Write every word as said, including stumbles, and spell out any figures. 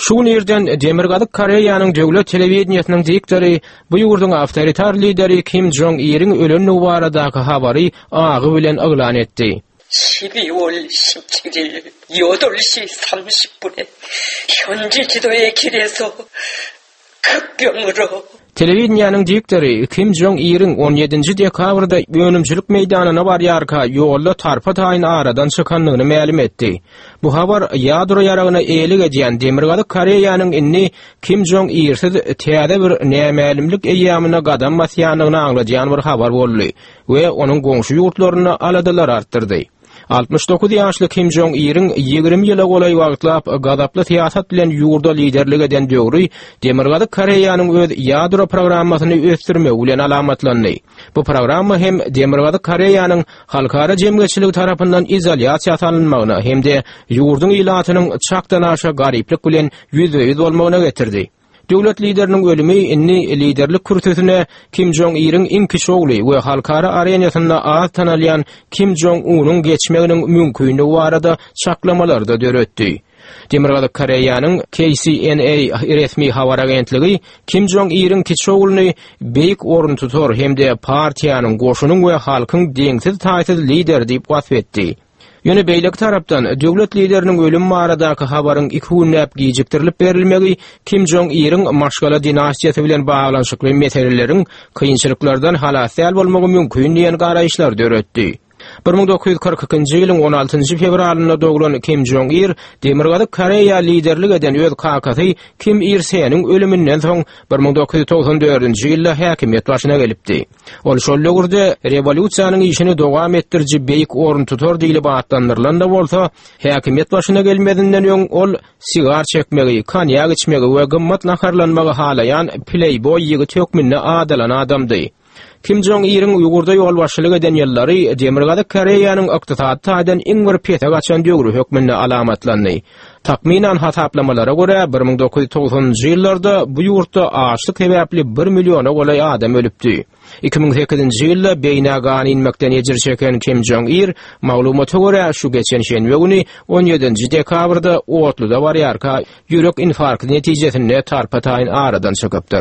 Şu gün irden Demirgazyk Koreýanyň döwlet telewideniýesiniň diktory bu ýurduň awtoritar lideri Kim Jong Iriň ölendigi baradaky habary agy bilen yglan etdi. 십이월 십칠일 여덟 시 삼십 분에 현지 지도의 길에서 급병으로 Telewideniýäniň diktory Kim Jong Iriň on ýedinji dekabrda önümçilik meýdanyna barýarka ýolda tarpa-taýyn aradan çykandygyny mälim etdi. Bu habar ýadro ýaragyna eýelik edýän Demirgazyk Koreýanyň indi Kim Jong Irsiz täze bir nämälimlik eýýamyna gadam basýandygyny aňladýan bir habar boldy we onuň goňşy ýurtlarynda aladalar artdyrdy. Altmyş dokuz ýaşly Kim Jong Iriň ýigrimi ýyla golaý wagtlap gazaply syýasat bilen ýurda liderlik eden döwri Demirgazyk Koreýanyň öz ýadro programmasyny ösdürmegi bilen alamatlandy. Bu programma hem Demirgazyk Koreýanyň halkara jemgyýetçiligi tarapyndan izolýasiýa salynmagyna hem-de ýurduň ilatynyň çakdan aşa garyplyk bilen ýüzbe-ýüz bolmagyna getirdi. Döwlet lideriniň ölümi indi liderlik kürsüsine Kim Jong Iriň iň kiçi ogly we halkara arenasynda az tanalýan Kim Jong Unyň geçmeginiň mümkinligi barada çaklamalarda döretdi. Demirgazyk Koreýanyň K C N A resmi habar agentligi Kim Jong Iriň kiçi ogluny beýik orun tutar hem-de partiýanyň, goşunyň we halkyň deňsiz taýsyz lideri diýip wasp etdi. Ýöne beýleki tarapdan döwlet lideriniň ölüm baradaky habaryň iki günläp gijikdirilip berilmegi Kim Jong Iriň maşgala dinastiýasy bilen baglanyşykly meseleleriň kynçylyklardan halas däl bolmagy mümkin diýen garaýyşlar döretdi. Bir müň dokuz ýüz kyrk ikinji ýylyň on altynjy fewralynda doglan Kim Jong Ir Demirgazyk Koreýa liderlik eden öz kakasy Kim Ir Seniň ölüminden soň bir müň dokuz ýüz togsan dördünji ýylda häkimiýet başyna gelipdi. Ol şol döwürde rewolýusiýanyň işini dowam etdiriji beýik orun tutar diýlip atlandyrylan da bolsa, häkimiýet başyna gelmezinden öň ol sigar çekmegi, konýak içmegi we gymmat naharlanmagy halaýan playboy ýigit hökmünde adalan adamdy. Kim Jong Iriň ýurda ýolbaşçylyk eden ýyllary Demirgazyk Koreýanyň ykdysady taýdan iň bir pese gaçan döwri hökmünde alamatlandy. Takmynan hasaplamalara görä bir müň dokuz ýüz togsanynjy ýyllarda bu ýurtda açlyk sebäpli bir milliona golaý adam ölüpdi. Iki müň sekizinji ýylda beýnä gan inmekden ejir çeken Kim Jong Ir maglumata görä şu geçen şenbe güni on ýedinji dekabrda otluda barýarka ýürek infarkty netijesinde tarpa-taýyn aradan çykypdyr.